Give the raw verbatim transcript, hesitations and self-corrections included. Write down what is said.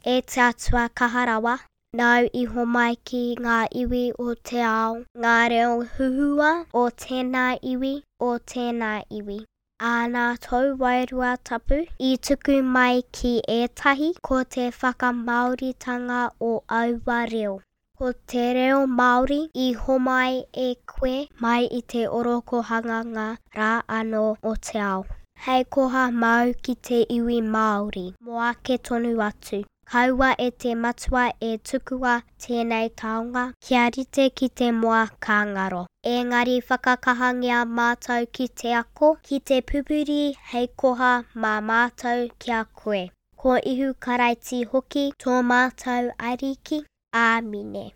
E te Atua kaha rawa, nāu i homai ki ngā iwi o te ao ngā reo huhua o tēnā iwi, o tēnā iwi. Ā, nā tōu Wairua Tapu i tuku mai ki ētahi ko te whakamāoritanga o aua reo. Ko te reo Māori i homai e koe mai i te orokohanganga rā anō o te ao. Hei koha māu ki te iwi Māori mō ake tonu atu. Kaua e te Matua e tukua tēnei taonga kia rite ki te moa ka ngaro. Engari whakakahangia mātou ki te ako, ki te pupuri hei koha mā mātou ki a koe. Ko Ihu Karaiti hoki tō mātou Ariki. Āmine.